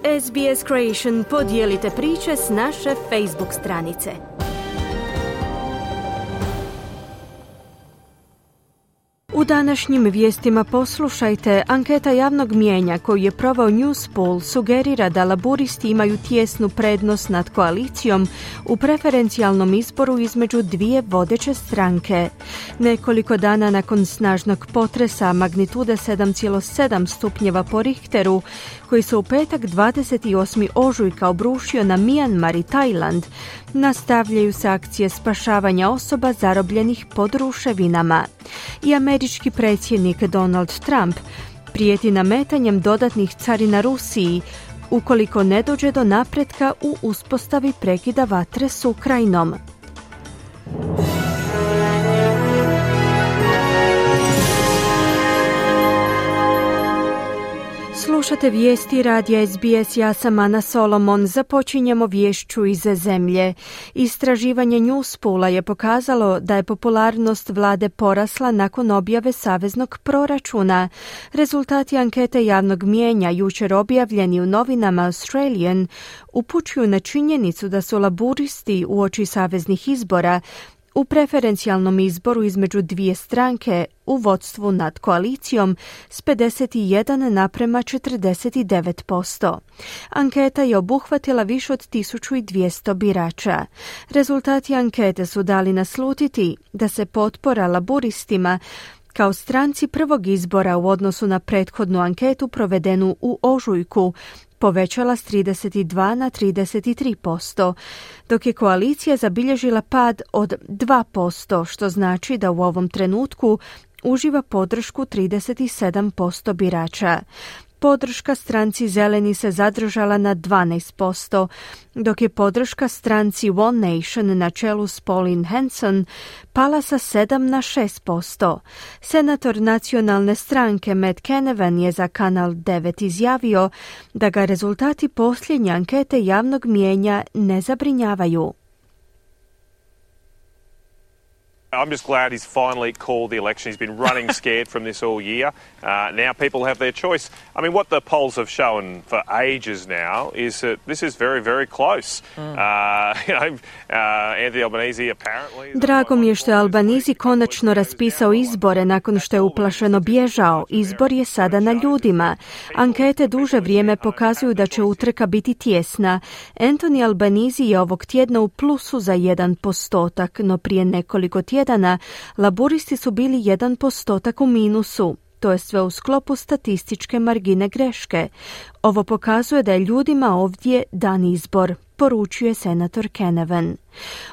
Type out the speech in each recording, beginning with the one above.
SBS Creation, podijelite priče s naše Facebook stranice. U današnjim vijestima poslušajte, anketa javnog mijenja koju je proveo Newspoll sugerira da laburisti imaju tijesnu prednost nad koalicijom u preferencijalnom izboru između dvije vodeće stranke. Nekoliko dana nakon snažnog potresa magnitude 7,7 stupnjeva po Richteru, koji se u petak 28. ožujka obrušio na Mijanmar i Tajland, nastavljaju se akcije spašavanja osoba zarobljenih pod ruševinama. I američki predsjednik Donald Trump prijeti nametanjem dodatnih carina Rusiji ukoliko ne dođe do napretka u uspostavi prekida vatre s Ukrajinom. Slušate vijesti radija SBS, ja sam Ana Solomon. Započinjemo vješću iz zemlje. Istraživanje Newspolla je pokazalo da je popularnost vlade porasla nakon objave saveznog proračuna. Rezultati ankete javnog mijenja, jučer objavljeni u novinama Australian, upućuju na činjenicu da su laburisti uoči saveznih izbora u preferencijalnom izboru između dvije stranke u vodstvu nad koalicijom s 51:49%. Anketa je obuhvatila više od 1200 birača. Rezultati ankete su dali naslutiti da se potpora laburistima kao stranci prvog izbora u odnosu na prethodnu anketu provedenu u ožujku povećala s 32 na 33%, dok je koalicija zabilježila pad od 2%, što znači da u ovom trenutku uživa podršku 37% birača. Podrška stranci Zeleni se zadržala na 12%, dok je podrška stranci One Nation na čelu s Pauline Hanson pala sa 7 na 6%. Senator nacionalne stranke Matt Canavan je za Kanal 9 izjavio da ga rezultati posljednje ankete javnog mijenja ne zabrinjavaju. I'm just glad he's finally called the election. He's been running scared from this all year. Now people have their choice. I mean, what the polls have shown for ages now is that this is very, very close. Anthony Albanese apparently... Drago mi je što je Albanese konačno raspisao izbore nakon što je uplašeno bježao. Izbor je sada na ljudima. Ankete duže vrijeme pokazuju da će utrka biti tjesna. Anthony Albanese je ovog tjedna u plusu za 1%, no prije nekoliko tjedana laburisti su bili 1% u minusu. To je sve u sklopu statističke margine greške. Ovo pokazuje da je ljudima ovdje dan izbor, poručuje senator Canavan.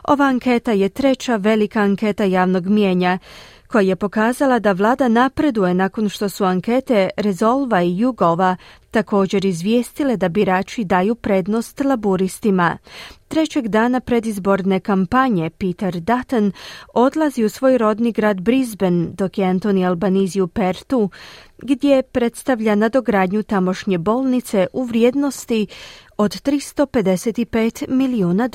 Ova anketa je treća velika anketa javnog mijenja koja je pokazala da vlada napreduje nakon što su ankete Resolva i YouGova također izvijestile da birači daju prednost laburistima. Trećeg dana predizborne kampanje Peter Dutton odlazi u svoj rodni grad Brisbane, dok je Anthony Albanese u Perthu, gdje predstavlja nadogradnju tamošnje bolnice u vrijednosti od $355 milijuna.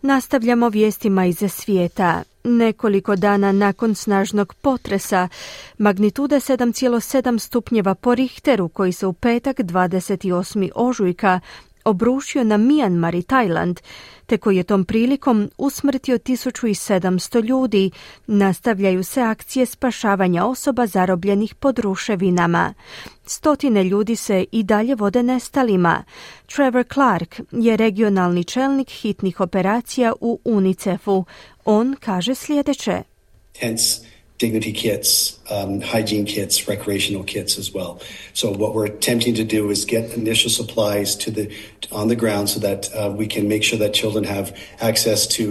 Nastavljamo vijestima iz svijeta. Nekoliko dana nakon snažnog potresa magnitude 7,7 stupnjeva po Richteru, koji se u petak 28. ožujka obrušio na Mijanmar i Tajland, te koji je tom prilikom usmrtio 1700 ljudi, nastavljaju se akcije spašavanja osoba zarobljenih pod ruševinama. Stotine ljudi se i dalje vode nestalima. Trevor Clark je regionalni čelnik hitnih operacija u UNICEF-u. On kaže sljedeće. Dignity kits, hygiene kits, recreational kits as well. So what we're attempting to do is get initial supplies on the ground so that we can make sure that children have access to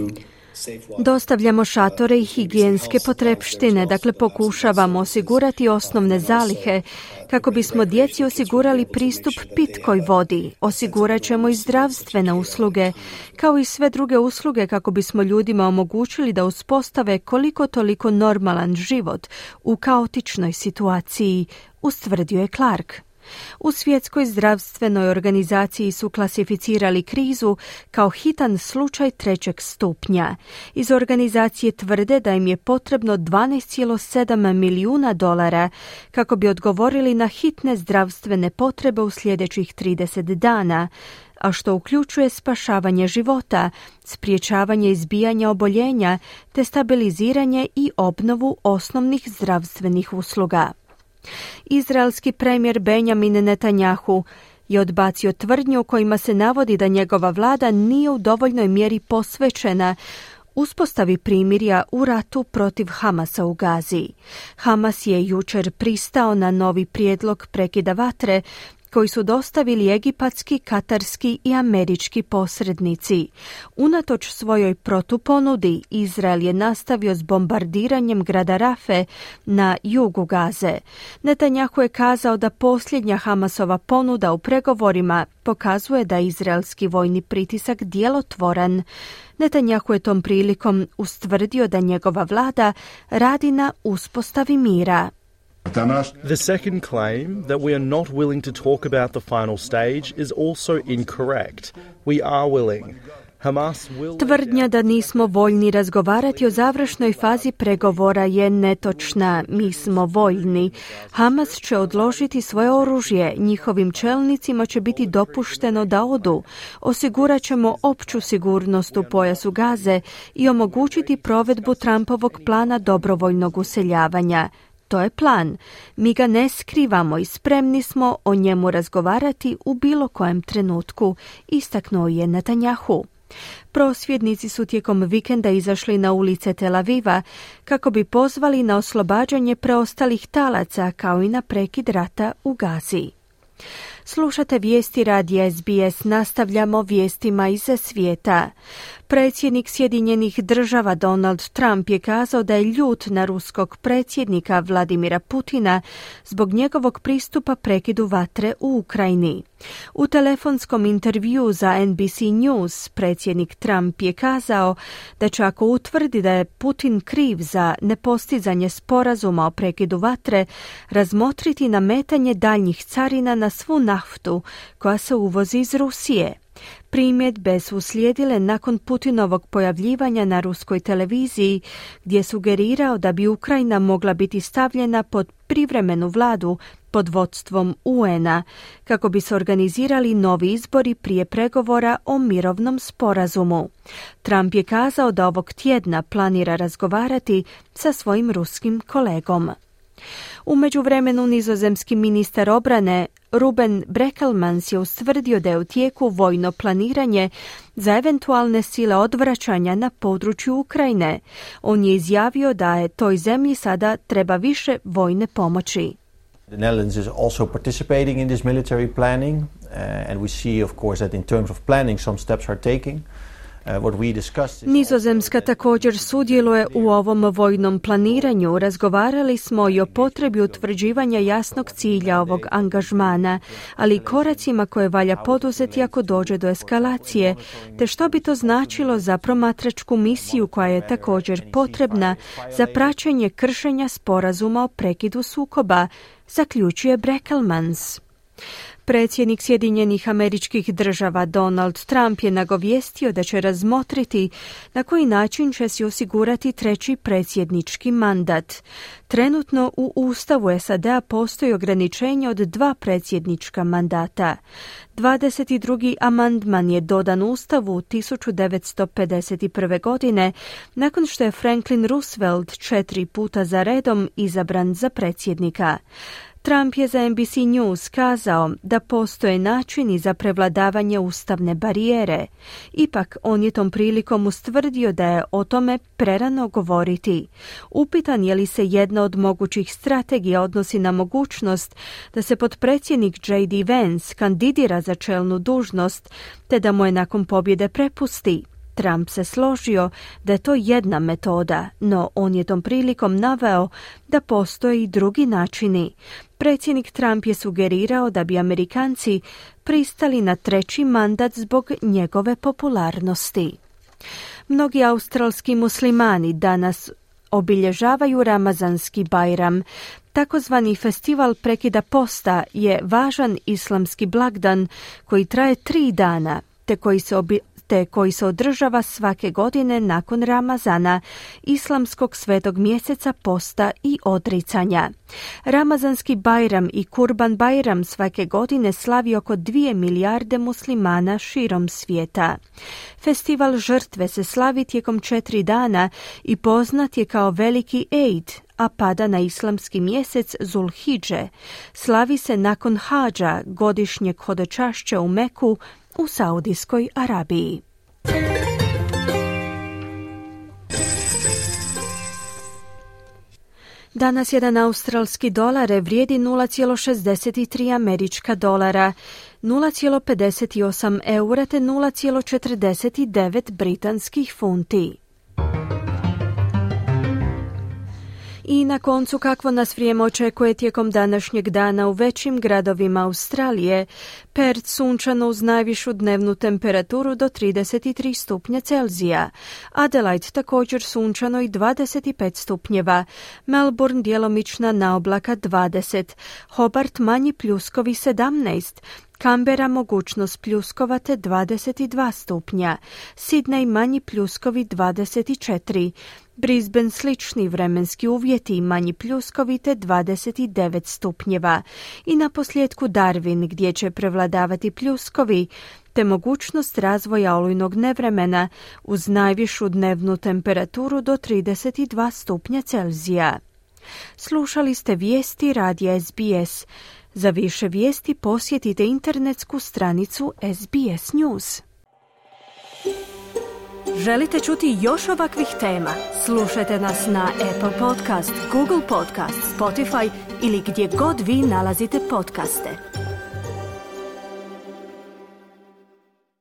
Dostavljamo šatore i higijenske potrepštine, dakle pokušavamo osigurati osnovne zalihe kako bismo djeci osigurali pristup pitkoj vodi. Osigurat ćemo i zdravstvene usluge, kao i sve druge usluge kako bismo ljudima omogućili da uspostave koliko toliko normalan život u kaotičnoj situaciji, ustvrdio je Clark. U Svjetskoj zdravstvenoj organizaciji su klasificirali krizu kao hitan slučaj 3. stupnja. Iz organizacije tvrde da im je potrebno $12,7 milijuna kako bi odgovorili na hitne zdravstvene potrebe u sljedećih 30 dana, a što uključuje spašavanje života, sprječavanje izbijanja oboljenja te stabiliziranje i obnovu osnovnih zdravstvenih usluga. Izraelski premijer Benjamin Netanjahu je odbacio tvrdnju kojima se navodi da njegova vlada nije u dovoljnoj mjeri posvećena uspostavi primirja u ratu protiv Hamasa u Gazi. Hamas je jučer pristao na novi prijedlog prekida vatre koji su dostavili egipatski, katarski i američki posrednici. Unatoč svojoj protuponudi, Izrael je nastavio s bombardiranjem grada Rafe na jugu Gaze. Netanjahu je kazao da posljednja Hamasova ponuda u pregovorima pokazuje da je izraelski vojni pritisak djelotvoran. Netanjahu je tom prilikom ustvrdio da njegova vlada radi na uspostavi mira. The second claim that we are not willing to talk about the final stage is also incorrect. We are willing. Tvrdnja da nismo voljni razgovarati o završnoj fazi pregovora je netočna. Mi smo voljni. Hamas će odložiti svoje oružje. Njihovim čelnicima će biti dopušteno da odu. Osigurat ćemo opću sigurnost u pojasu Gaze i omogućiti provedbu Trumpovog plana dobrovoljnog useljavanja. To je plan. Mi ga ne skrivamo i spremni smo o njemu razgovarati u bilo kojem trenutku, istaknuo je Netanjahu. Prosvjednici su tijekom vikenda izašli na ulice Tel Aviva kako bi pozvali na oslobađanje preostalih talaca kao i na prekid rata u Gazi. Slušate vijesti radija SBS, nastavljamo vijestima iz svijeta. Predsjednik Sjedinjenih Država Donald Trump je kazao da je ljut na ruskog predsjednika Vladimira Putina zbog njegovog pristupa prekidu vatre u Ukrajini. U telefonskom intervjuu za NBC News predsjednik Trump je kazao da će ako utvrdi da je Putin kriv za nepostizanje sporazuma o prekidu vatre, razmotriti nametanje daljnjih carina na svu naftu koja se uvozi iz Rusije. Primjedbe su uslijedile nakon Putinovog pojavljivanja na ruskoj televiziji, gdje je sugerirao da bi Ukrajina mogla biti stavljena pod privremenu vladu pod vodstvom UN-a, kako bi se organizirali novi izbori prije pregovora o mirovnom sporazumu. Trump je kazao da ovog tjedna planira razgovarati sa svojim ruskim kolegom. U međuvremenu nizozemski ministar obrane Ruben Brekelmans je ustvrdio da je u tijeku vojno planiranje za eventualne sile odvraćanja na području Ukrajine. On je izjavio da je toj zemlji sada treba više vojne pomoći. The Netherlands is also participating in this military planning, and we see, of course, that in terms of planning some steps are taking. Nizozemska također sudjeluje u ovom vojnom planiranju. Razgovarali smo i o potrebi utvrđivanja jasnog cilja ovog angažmana, ali i koracima koje valja poduzeti ako dođe do eskalacije, te što bi to značilo za promatračku misiju koja je također potrebna za praćenje kršenja sporazuma o prekidu sukoba, zaključuje Brekelmans. Predsjednik Sjedinjenih Američkih Država Donald Trump je nagovijestio da će razmotriti na koji način će si osigurati treći predsjednički mandat. Trenutno u Ustavu SAD-a postoji ograničenje od 2 predsjednička mandata. 22. amandman je dodan Ustavu 1951. godine nakon što je Franklin Roosevelt 4 puta za redom izabran za predsjednika. Trump je za NBC News kazao da postoje načini za prevladavanje ustavne barijere. Ipak, on je tom prilikom ustvrdio da je o tome prerano govoriti. Upitan je li se jedna od mogućih strategija odnosi na mogućnost da se potpredsjednik J.D. Vance kandidira za čelnu dužnost, te da mu je nakon pobjede prepusti. Trump se složio da je to jedna metoda, no on je tom prilikom naveo da postoje i drugi načini. Predsjednik Trump je sugerirao da bi Amerikanci pristali na treći mandat zbog njegove popularnosti. Mnogi australski muslimani danas obilježavaju Ramazanski Bajram. Takozvani festival prekida posta je važan islamski blagdan koji traje 3 dana, te koji se održava svake godine nakon Ramazana, islamskog svetog mjeseca posta i odricanja. Ramazanski Bajram i Kurban Bajram svake godine slavi oko 2 milijarde muslimana širom svijeta. Festival žrtve se slavi tijekom 4 dana i poznat je kao veliki Eid, a pada na islamski mjesec Zulhidže. Slavi se nakon hadža, godišnjeg hodočašća u Meku u Saudijskoj Arabiji. Danas jedan australski dolar vrijedi 0,63 američka dolara, 0,58 eura te 0,49 britanskih funti. I na koncu, kakvo nas vrijeme očekuje tijekom današnjeg dana u većim gradovima Australije. Perth sunčano uz najvišu dnevnu temperaturu do 33 stupnja Celzija. Adelaide također sunčano i 25 stupnjeva. Melbourne djelomična naoblaka 20. Hobart manji pljuskovi 17. Canberra mogućnost pljuskova te 22 stupnja. Sydney manji pljuskovi 24. Brisbane slični vremenski uvjeti, manji pljuskovi te 29 stupnjeva. I na posljedku Darwin gdje će prevladavati pljuskovi te mogućnost razvoja olujnog nevremena uz najvišu dnevnu temperaturu do 32 stupnja Celzija. Slušali ste vijesti radija SBS. Za više vijesti posjetite internetsku stranicu SBS News. Želite čuti još ovakvih tema? Slušajte nas na Apple Podcast, Google Podcast, Spotify ili gdje god vi nalazite podcaste.